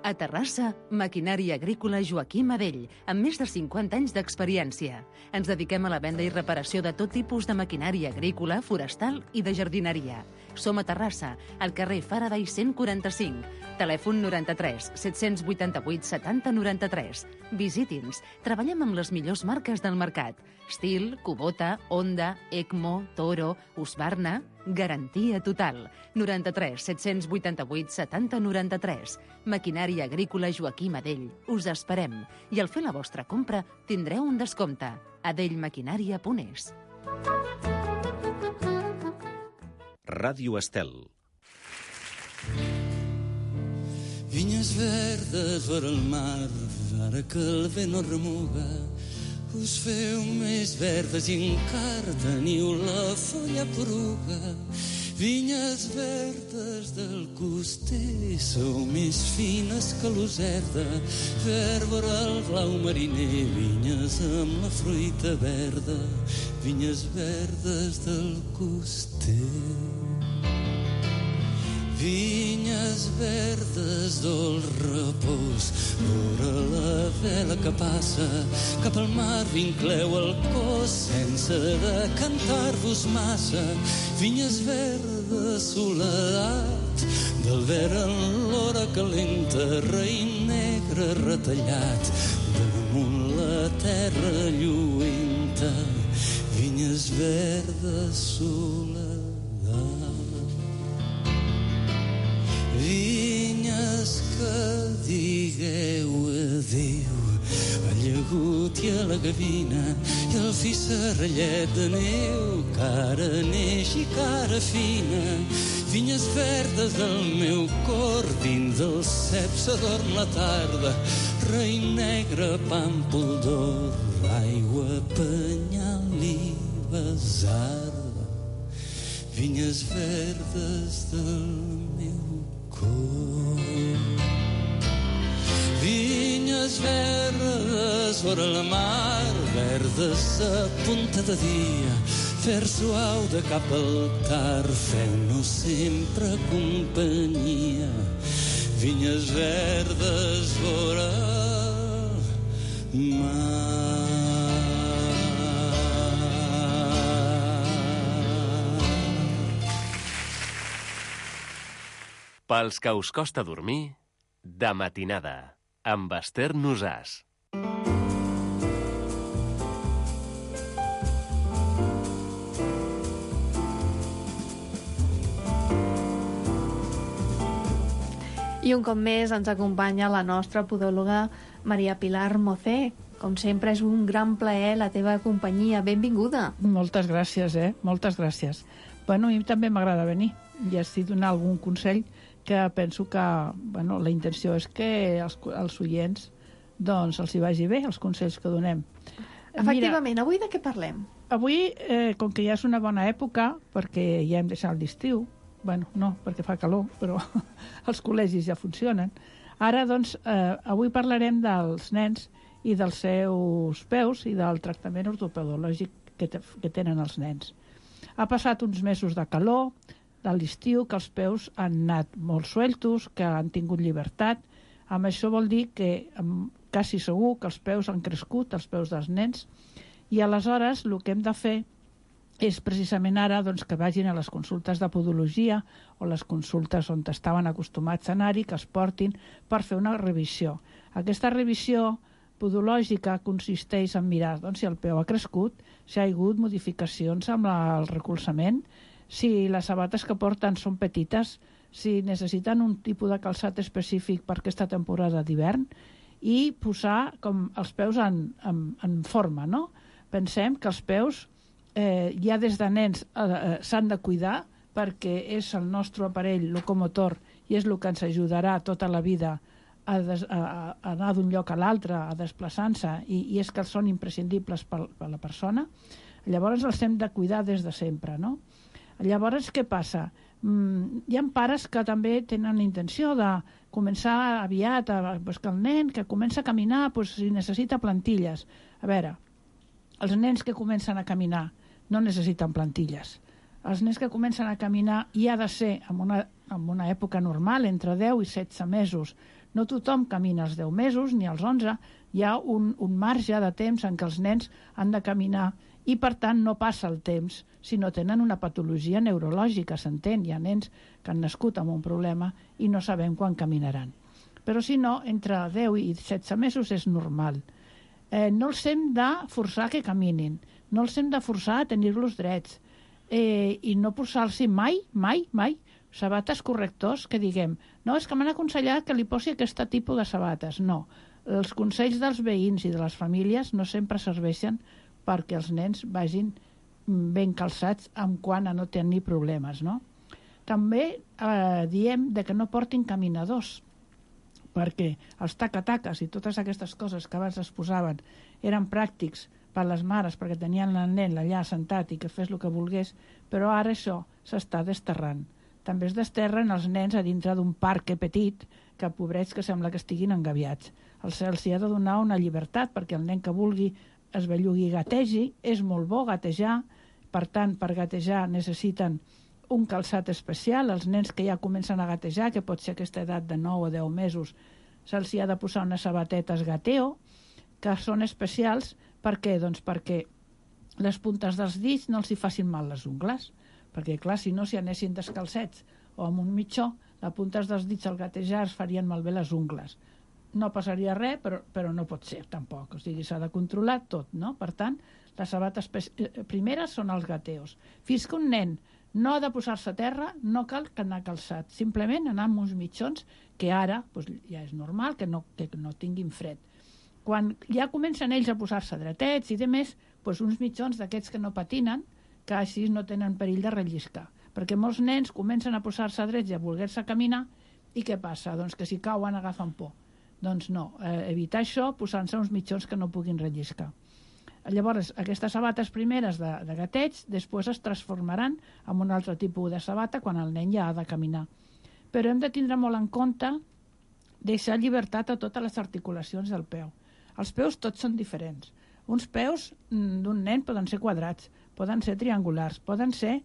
A Terrassa, Maquinària Agrícola Joaquim Adell, amb més de cinquanta anys d'experiència. Ens dediquem a la venda i reparació de tot tipus de maquinària agrícola, forestal i de jardineria. Som a Terrassa, al carrer Faraday cent quaranta-cinc. Telèfon noranta-tres set-cents vuitanta-vuit setanta noranta-tres. Visiti'ns. Treballem amb les millors marques del mercat. Stihl, Kubota, Honda, Ecmo, Toro, Husqvarna. Garantia total. noranta-tres set-cents vuitanta-vuit setanta noranta-tres. Maquinària Agrícola Joaquim Adell. Us esperem. I al fer la vostra compra tindreu un descompte. adellmaquinària punt es. Ràdio Estel. Vinyes verdes vora el mar, ara que el vent no remuga, us feu més verdes i encara teniu la folla poruga. Vinyes verdes del coster, sou més fines que l'userda, verd vora el blau mariner, vinyes amb la fruita verda, vinyes verdes del coster. Vinyes verdes del repòs, vora la vela que passa, cap al mar vincleu el cos sense decantar-vos massa. Vinyes verdes, soledat, del verd en l'hora calenta, raïm negre retallat, damunt la terra lluenta. Vinyes verdes, soledat. Vinyes que digueu adéu al llagut i a la gavina i al fi serrallet de neu, cara neix i cara fina. Vinyes verdes del meu cor, dins del cep s'adorm la tarda, rei negre, pàmpol d'or, aigua, penyal i besarda, vinyes verdes del meu cor. Vinyes verdes vora la mar, verdes a punta de dia, fer suau de cap al car, feu-nos sempre companyia. Vinyes verdes vora el mar. Pels que us costa dormir, de matinada, amb Esther Nosàs. I un cop més ens acompanya la nostra podòloga Maria Pilar Mocé. Com sempre, és un gran plaer la teva companyia. Benvinguda. Moltes gràcies, eh? Moltes gràcies. Bueno, a mi també m'agrada venir i així donar algun consell que penso que, bueno, la intenció és que els, els oients doncs els hi vagi bé, els consells que donem. Efectivament, Mira, avui de què parlem? Avui, eh, com que ja és una bona època, perquè ja hem deixat l'estiu, bueno, no, perquè fa calor, però els col·legis ja funcionen. Ara, doncs, eh, avui parlarem dels nens i dels seus peus i del tractament ortopedològic que, te, que tenen els nens. Ha passat uns mesos de calor, de l'estiu, que els peus han anat molt sueltos, que han tingut llibertat. Amb això vol dir que quasi segur que els peus han crescut, els peus dels nens, i aleshores el que hem de fer és precisament ara doncs, que vagin a les consultes de podologia o les consultes on estaven acostumats a anar-hi, que es portin per fer una revisió. Aquesta revisió podològica consisteix en mirar doncs, si el peu ha crescut, si hi ha hagut modificacions amb la, el recolzament, si les sabates que porten són petites, si necessiten un tipus de calçat específic per aquesta temporada d'hivern i posar com els peus en, en, en forma, no? Pensem que els peus eh, ja des de nens eh, s'han de cuidar perquè és el nostre aparell locomotor i és el que ens ajudarà tota la vida a, des, a, a anar d'un lloc a l'altre, a desplaçar-se, i, i és que són imprescindibles per, per la persona. Llavors els hem de cuidar des de sempre, no? Llavors, què passa? Mm, hi ha pares que també tenen la intenció de començar aviat, a, pues, que el nen que comença a caminar, pues, si necessita plantilles. A veure, els nens que comencen a caminar no necessiten plantilles. Els nens que comencen a caminar hi ha de ser en una, en una època normal, entre deu i setze mesos. No tothom camina als deu mesos ni als onze. Hi ha un, un marge de temps en què els nens han de caminar i, per tant, no passa el temps si no tenen una patologia neurològica, s'entén. Hi ha nens que han nascut amb un problema i no sabem quan caminaran. Però, si no, entre deu i setze mesos és normal. Eh, no els hem de forçar que caminin, no els hem de forçar a tenir-los drets, eh, i no posar-los mai, mai, mai, sabates correctors que diguem, no, és que m'han aconsellat que li posi aquest tipus de sabates. No, els consells dels veïns i de les famílies no sempre serveixen perquè els nens vagin ben calçats en quant a no tenir problemes, no? També eh, diem de que no portin caminadors, perquè els tacataques i totes aquestes coses que abans es posaven eren pràctics per les mares perquè tenien el nen allà sentat i que fes el que volgués, però ara això s'està desterrant. També es desterren els nens a dintre d'un parc petit que, pobrets, que sembla que estiguin engaviats. Els, els hi ha de donar una llibertat perquè el nen que vulgui es bellugui i gategi. És molt bo gatejar, per tant, per gatejar necessiten un calçat especial. Els nens que ja comencen a gatejar, que pot ser aquesta edat de nou o deu mesos, se'ls hi ha de posar unes sabatetes gateo, que són especials. Per què? Doncs perquè les puntes dels dits no els hi facin mal les ungles, perquè, clar, si no, si anessin descalcets o amb un mitjó, les puntes dels dits al gatejar es farien malbé les ungles. No passaria res, però, però no pot ser, tampoc. O sigui, s'ha de controlar tot, no? Per tant, les sabates primeres són els gateos. Fins que un nen no ha de posar-se a terra, no cal anar calçat. Simplement anar amb uns mitjons que ara doncs, ja és normal que no, que no tinguin fred. Quan ja comencen ells a posar-se dretets i demés, doncs uns mitjons d'aquests que no patinen, que així no tenen perill de relliscar. Perquè molts nens comencen a posar-se drets i a voler-se caminar, i què passa? Doncs que si cauen agafen por. Doncs no, eh, evitar això posant-se uns mitjons que no puguin relliscar. Llavors, aquestes sabates primeres de, de gateig després es transformaran en un altre tipus de sabata quan el nen ja ha de caminar. Però hem de tindre molt en compte deixar llibertat a totes les articulacions del peu. Els peus tots són diferents. Uns peus d'un nen poden ser quadrats, poden ser triangulars, poden ser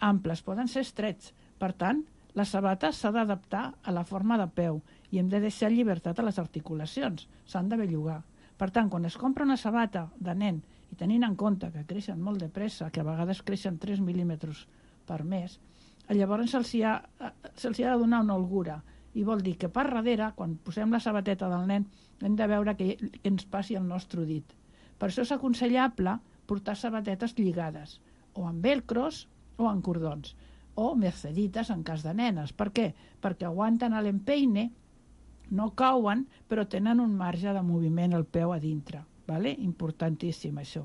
amples, poden ser estrets. Per tant, la sabata s'ha d'adaptar a la forma de peu i hem de deixar llibertat a les articulacions. S'han de bellugar. Per tant, quan es compra una sabata de nen i tenint en compte que creixen molt de pressa, que a vegades creixen tres mil·límetres per mes, llavors se'ls ha, se ha de donar una holgura. I vol dir que per darrere, quan posem la sabateta del nen, hem de veure que, que ens passi el nostre dit. Per això és aconsellable portar sabatetes lligades, o amb velcros o amb cordons, o mercedites en cas de nenes. Per què? Perquè aguanten l'empeine, no cauen, però tenen un marge de moviment al peu a dintre. Vale? Importantíssim, això.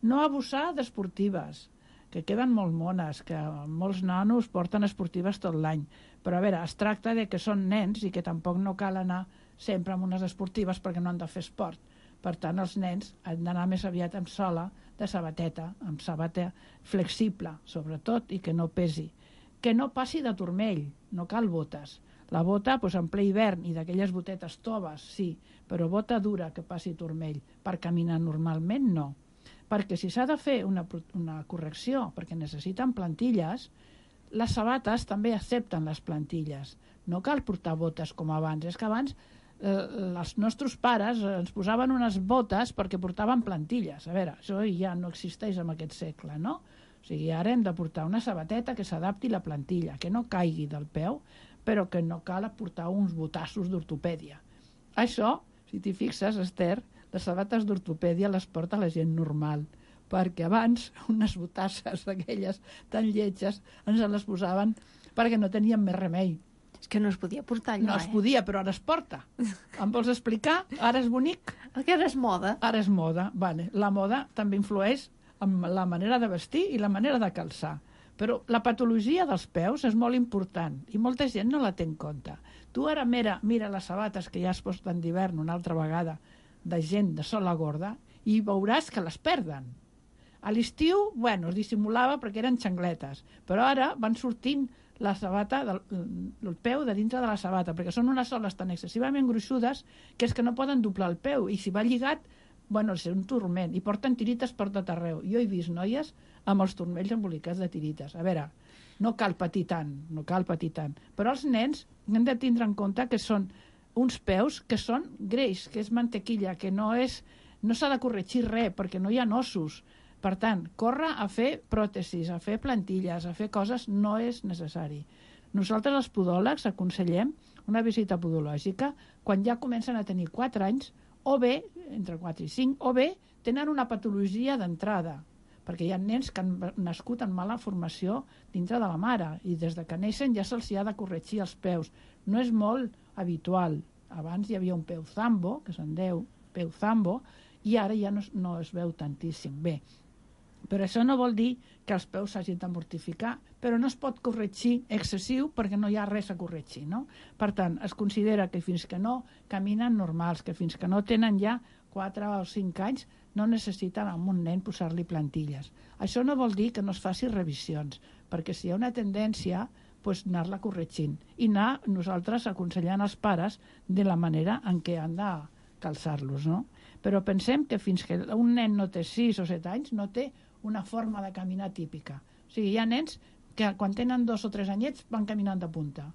No abusar d'esportives, que queden molt mones, que molts nanos porten esportives tot l'any. Però, a veure, es tracta de que són nens i que tampoc no cal anar sempre amb unes esportives perquè no han de fer esport. Per tant, els nens han d'anar més aviat amb sola de sabateta, amb sabata flexible, sobretot, i que no pesi. Que no passi de turmell, no cal botes. La bota, doncs, en ple hivern, i d'aquelles botetes toves, sí, però bota dura que passi turmell. Per caminar normalment, no. Perquè si s'ha de fer una, una correcció, perquè necessiten plantilles, les sabates també accepten les plantilles. No cal portar botes com abans. És que abans eh, els nostres pares ens posaven unes botes perquè portaven plantilles. A veure, això ja no existeix en aquest segle, no? O sigui, ara hem de portar una sabateta que s'adapti a la plantilla, que no caigui del peu, però que no cal portar uns botassos d'ortopèdia. Això, si t'hi fixes, Esther, les sabates d'ortopèdia les porta la gent normal, perquè abans unes botasses d'aquelles tan lletges ens les posaven perquè no teníem més remei. És que no es podia portar allò, No es podia, però ara es porta. Em vols explicar? Ara és bonic? El que ara és moda. Ara és moda. Vale. La moda també influeix en la manera de vestir i la manera de calçar. Però la patologia dels peus és molt important i molta gent no la té en compte. Tu ara mira, mira les sabates que ja es posten d'hivern una altra vegada de gent de sola gorda i veuràs que les perden. A l'estiu, bueno, es dissimulava perquè eren xangletes, però ara van sortint la sabata, del, el peu de dintre de la sabata, perquè són unes soles tan excessivament gruixudes que és que no poden doblar el peu, i si va lligat, bueno, és un turment, i porten tirites per tot arreu. Jo he vist noies amb els turmells embolicats de tirites. A veure, no cal patir tant, no cal patir tant, però els nens hem de tindre en compte que són uns peus que són greix, que és mantequilla, que no és, no s'ha de corregir res, perquè no hi ha ossos. Per tant, córrer a fer pròtesis, a fer plantilles, a fer coses, no és necessari. Nosaltres, els podòlegs, aconsellem una visita podològica quan ja comencen a tenir quatre anys, o bé, entre quatre i cinc, o bé tenen una patologia d'entrada, perquè hi ha nens que han nascut en mala formació dintre de la mare, i des de que neixen ja se'ls ha de corregir els peus. No és molt habitual. Abans hi havia un peu zambo, que se'n diu peu zambo, i ara ja no, no es veu tantíssim. Bé, però això no vol dir que els peus s'hagin de mortificar, però no es pot corregir excessiu perquè no hi ha res a corregir, no? Per tant, es considera que fins que no caminen normals, que fins que no tenen ja quatre o cinc anys, no necessiten a un nen posar-li plantilles. Això no vol dir que no es faci revisions, perquè si hi ha una tendència, doncs anar-la corregint i anar nosaltres aconsellant als pares de la manera en què han de calçar-los, no? Però pensem que fins que un nen no té sis o set anys no té una forma de caminar típica. O sigui, hi ha nens que quan tenen dos o tres anyets van caminant de punta.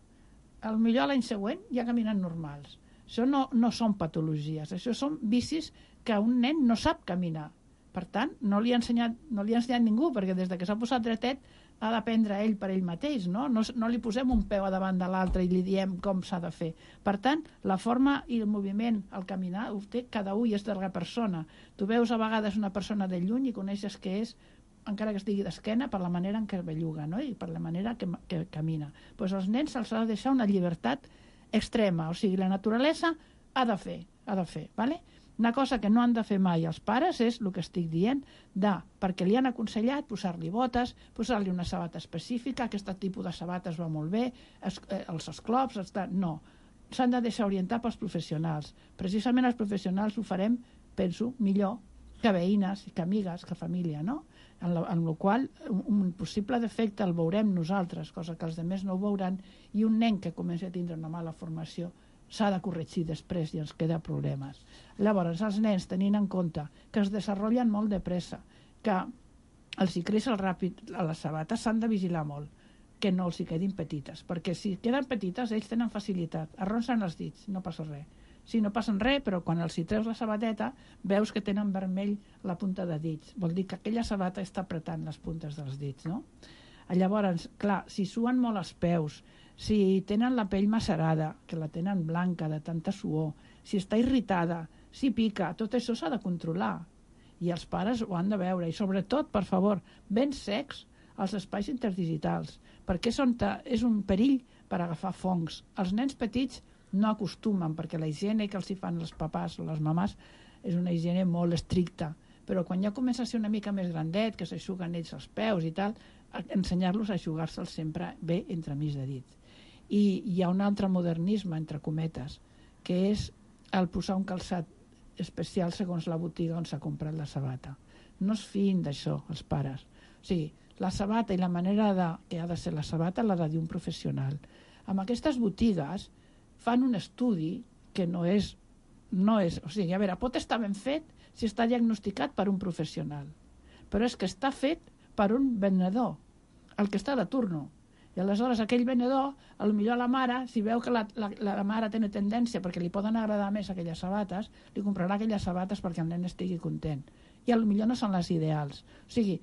Al millor l'any següent ja caminen normals. Això no, no són patologies, això són vicis que un nen no sap caminar. Per tant, no li ha ensenyat, no li ha ensenyat ningú, perquè des de que s'ha posat dretet ha d'aprendre ell per ell mateix, no? No, no li posem un peu a davant de l'altre i li diem com s'ha de fer. Per tant, la forma i el moviment al caminar ho té cada un i és de la persona. Tu veus a vegades una persona de lluny i coneixes que és, encara que estigui d'esquena, per la manera en què belluga, no? I per la manera que, que camina. Pues als nens se'ls ha de deixar una llibertat extrema, o sigui, la naturalesa ha de fer, ha de fer, ¿vale? Una cosa que no han de fer mai els pares és el que estic dient, de, perquè li han aconsellat posar-li botes, posar-li una sabata específica, aquest tipus de sabates va molt bé, es, eh, els esclops, està... no. s'han de deixar orientar pels professionals. Precisament els professionals ho farem, penso, millor que veïnes, que amigues, que família, no? En la, en la qual un, un possible defecte el veurem nosaltres, cosa que els altres no ho veuran, i un nen que comença a tindre una mala formació s'ha de corregir després i ens queda problemes. Llavors, els nens, tenint en compte que es desenvolupen molt de pressa, que els hi creix el ràpid a les sabates, s'han de vigilar molt, que no els hi quedin petites, perquè si queden petites ells tenen facilitat, arronsen els dits, no passa res. Sí, no passen res, però quan els hi treus la sabateta veus que tenen vermell la punta de dits. Vol dir que aquella sabata està apretant les puntes dels dits, no? Llavors, clar, si suen molt els peus, si tenen la pell macerada, que la tenen blanca de tanta suor, si està irritada, si pica, tot això s'ha de controlar. I els pares ho han de veure. I sobretot, per favor, ben secs els espais interdigitals, perquè és, on és un perill per agafar fongs. Els nens petits no acostumen, perquè la higiene que els hi fan els papàs o les mamàs és una higiene molt estricta, però quan ja comença a ser una mica més grandet, que s'aixuguen ells els peus i tal, ensenyar-los a aixugar-se'ls sempre bé entremig de dits. I hi ha un altre modernisme, entre cometes, que és el posar un calçat especial segons la botiga on s'ha comprat la sabata. No es fiïn d'això, els pares. O sigui, la sabata i la manera de, que ha de ser la sabata l'ha de dir un professional. Amb aquestes botigues fan un estudi que no és, no és... O sigui, a veure, pot estar ben fet si està diagnosticat per un professional, però és que està fet per un venedor, el que està de turno. I aleshores aquell venedor, potser la mare, si veu que la, la, la mare té una tendència perquè li poden agradar més aquelles sabates, li comprarà aquelles sabates perquè el nen estigui content. I potser no són les ideals. O sigui,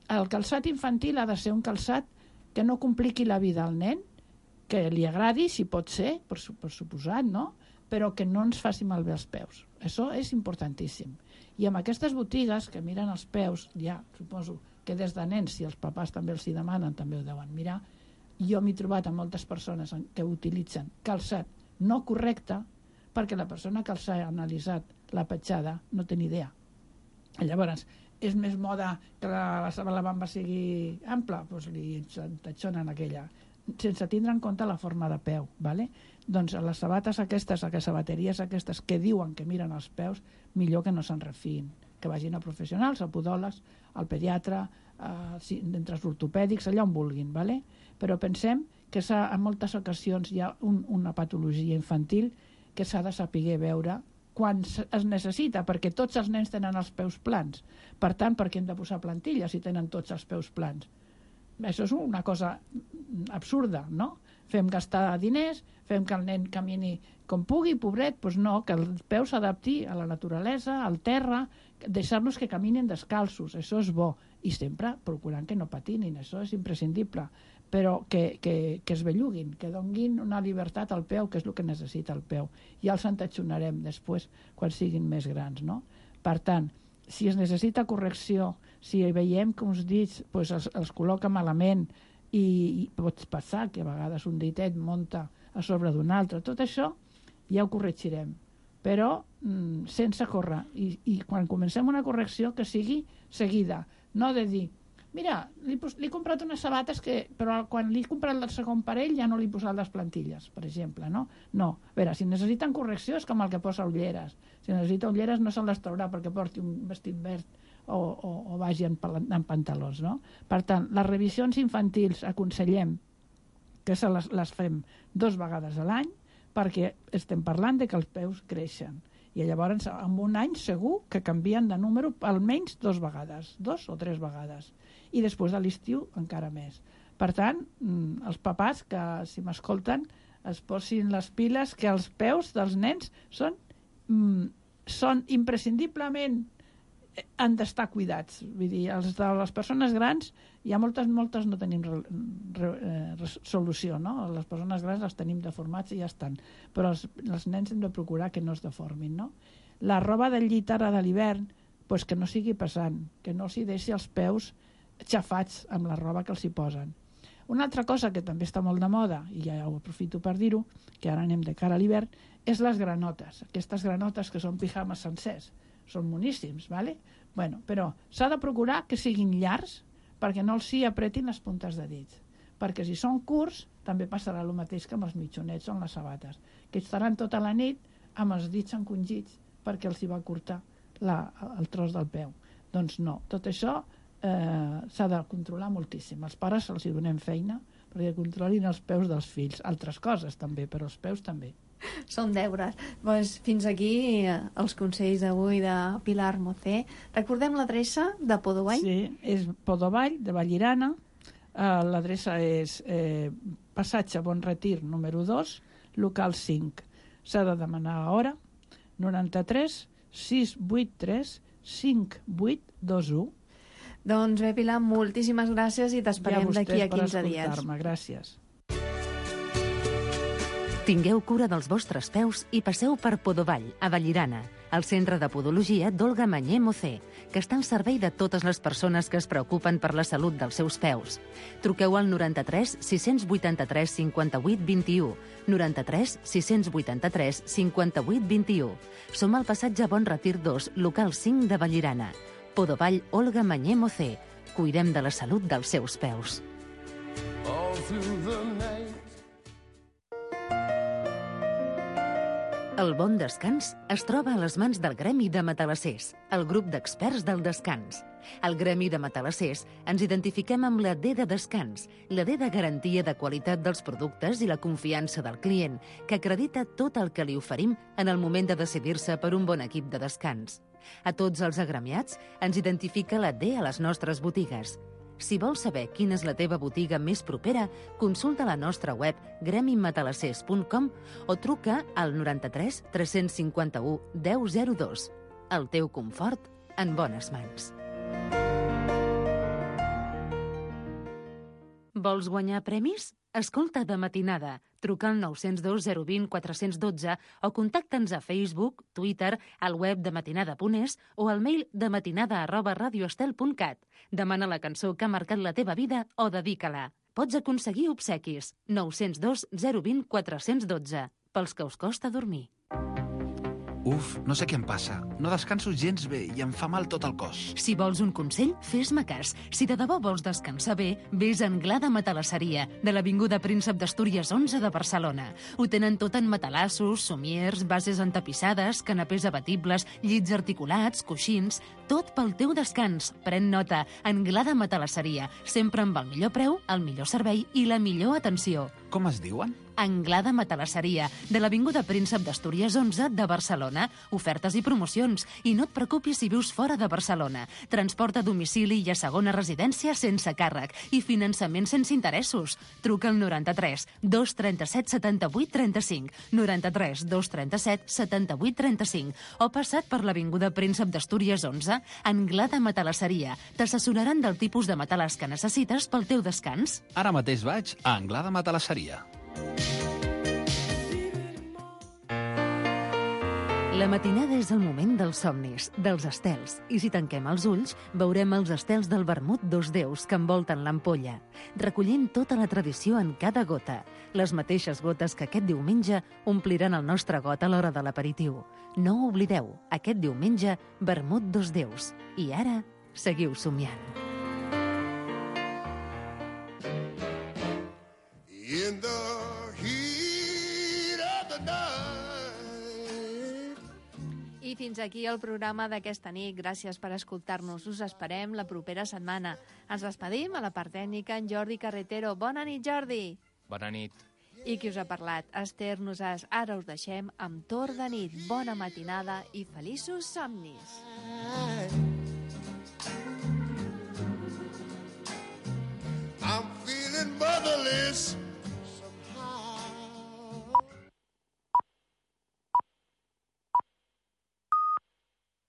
el calçat infantil ha de ser un calçat que no compliqui la vida al nen, que li agradi, si pot ser, per, per suposat, no? Però que no ens faci malbé els peus. Això és importantíssim. I amb aquestes botigues que miren els peus, ja suposo que des de nens, si els papàs també els hi demanen, també ho deuen mirar. Jo m'he trobat amb moltes persones que utilitzen calçat no correcte perquè la persona que els ha analitzat la petjada no té ni idea. Llavors, és més moda que la, la bamba sigui ampla, doncs li tatxonen aquella, sense tindre en compte la forma de peu, ¿vale? Doncs les sabates aquestes, les sabateries aquestes que diuen que miren els peus, millor que no se'n refiïn, que vagin a professionals, a podòlegs, al pediatre, a, entre els ortopèdics, allà on vulguin, ¿vale? Però pensem que en moltes ocasions hi ha un, una patologia infantil que s'ha de saber veure quan es necessita, perquè tots els nens tenen els peus plans. Per tant, per què hem de posar plantilles si tenen tots els peus plans? Això és una cosa absurda, no? Fem gastar diners, fem que el nen camini com pugui, pobret, doncs no, que el peu s'adapti a la naturalesa, al terra, deixar-los que caminin descalços, això és bo, i sempre procurant que no patinin, això és imprescindible, però que, que, que es belluguin, que donguin una llibertat al peu, que és el que necessita el peu. Ja els entatxonarem després, quan siguin més grans, no? Per tant, si es necessita correcció, si veiem que uns dits pues, els, els col·loca malament i, i pot passar que a vegades un ditet munta a sobre d'un altre, tot això ja ho corregirem, però mm, sense córrer. I, I quan comencem una correcció que sigui seguida, no de dir mira, li, li he comprat unes sabates que, però quan li he comprat el segon parell ja no li he posat les plantilles, per exemple, no? No, a veure, si necessiten correcció és com el que posa ulleres. Si necessita ulleres no se'n les traurà perquè porti un vestit verd o, o, o vagi en, en pantalons, no? Per tant, les revisions infantils aconsellem que se les, les fem dos vegades a l'any perquè estem parlant de que els peus creixen. I llavors en un any segur que canvien de número almenys dos vegades, dos o tres vegades. I després de l'estiu encara més. Per tant, els papàs que, si m'escolten, es posin les piles que els peus dels nens són, mm, són imprescindiblement han d'estar cuidats. Vull dir, els de les persones grans, hi ha moltes, moltes no tenim re, re, re, solució, no? Les persones grans les tenim deformats i ja estan. Però els, els nens hem de procurar que no es deformin, no? La roba del llit ara de l'hivern, pues que no sigui pesant, que no s'hi deixi els peus xafats amb la roba que els hi posen. Una altra cosa que també està molt de moda, i ja ho aprofito per dir-ho, que ara anem de cara a l'hivern, és les granotes. Aquestes granotes que són pijames sencers. Són moníssims, ¿vale? Bueno, però s'ha de procurar que siguin llargs perquè no els hi apretin les puntes de dits. Perquè si són curts, també passarà el mateix que amb els mitjonets o amb les sabates, que estaran tota la nit amb els dits encongits perquè els hi va cortar la, el tros del peu. Doncs no, tot això eh, s'ha de controlar moltíssim. Els pares els hi donem feina perquè controlin els peus dels fills. Altres coses també, però els peus també. Són deures. Pues fins aquí eh, els consells d'avui de Pilar Mocé. Recordem l'adreça de Podovall? Sí, és Podovall, de Vallirana. Uh, l'adreça és eh, Passatge Bon Retir, número dos, local cinc. S'ha de demanar a hora, noranta-tres sis vuit tres cinc vuit dos u. Doncs bé, Pilar, moltíssimes gràcies i t'esperem d'aquí a quinze dies. Ja per gràcies. Tingueu cura dels vostres peus i passeu per Podovall, a Vallirana, el centre de podologia d'Olga Mañé Mocé, que està al servei de totes les persones que es preocupen per la salut dels seus peus. Truqueu al noranta-tres sis vuitanta-tres cinquanta-vuit vint-i-u, noranta-tres sis vuitanta-tres cinquanta-vuit vint-i-u. Som al passatge Bon Retir dos, local cinc de Vallirana. Podovall, Olga Mañé Mocé. Cuidem de la salut dels seus peus. El bon descans es troba a les mans del Gremi de Matalassers, el grup d'experts del descans. Al Gremi de Matalassers ens identifiquem amb la D de descans, la D de garantia de qualitat dels productes i la confiança del client, que acredita tot el que li oferim en el moment de decidir-se per un bon equip de descans. A tots els agremiats ens identifica la D a les nostres botigues. Si vols saber quina és la teva botiga més propera, consulta la nostra web gremi matalassers punt com o truca al noranta-tres tres cinquanta-u deu zero dos. El teu confort en bones mans. Vols guanyar premis? Escolta De Matinada. Truca al nou zero dos zero dos zero quatre un dos o contacta'ns a Facebook, Twitter, al web de matinada punt es o al mail dematinada arroba radioestel punt cat. Demana la cançó que ha marcat la teva vida o dedica-la. Pots aconseguir obsequis. nou zero dos zero dos zero quatre un dos. Pels que us costa dormir. Uf, no sé què em passa. No descanso gens bé i em fa mal tot el cos. Si vols un consell, fes-me cas. Si de debò vols descansar bé, vés a Anglada Matalasseria, de l'Avinguda Príncep d'Astúries onze de Barcelona. Ho tenen tot en matalassos, somiers, bases entapissades, canapés abatibles, llits articulats, coixins... Tot pel teu descans. Pren nota. Anglada Matalasseria. Sempre amb el millor preu, el millor servei i la millor atenció. Com es diuen? Anglada Matalasseria, de l'Avinguda Príncep d'Astúries onze de Barcelona. Ofertes i promocions. I no et preocupis si vius fora de Barcelona. Transport a domicili i a segona residència sense càrrec. I finançament sense interessos. Truca al noranta-tres dos trenta-set setanta-vuit trenta-cinc, noranta-tres dos trenta-set setanta-vuit trenta-cinc o passat per l'Avinguda Príncep d'Astúries onze, Anglada Matalasseria. T'assessoraran del tipus de matalàs que necessites pel teu descans. Ara mateix vaig a Anglada Matalasseria. La matinada és el moment dels somnis, dels estels, i si tanquem els ulls, veurem els estels del vermut dos déus que envolten l'ampolla, recollint tota la tradició en cada gota, les mateixes gotes que aquest diumenge ompliran el nostre got a l'hora de l'aperitiu. No ho oblideu, aquest diumenge, vermut dos déus. I ara, seguiu somiant. In the heat of the night. I fins aquí el programa d'aquesta nit. Gràcies per escoltar-nos. Us esperem la propera setmana. Ens despedim a la part tècnica en Jordi Carretero. Bona nit, Jordi. Bona nit. I qui us ha parlat? Esther Nosàs. Ara us deixem amb Torn de nit. Bona matinada i feliços somnis. I'm feeling motherless.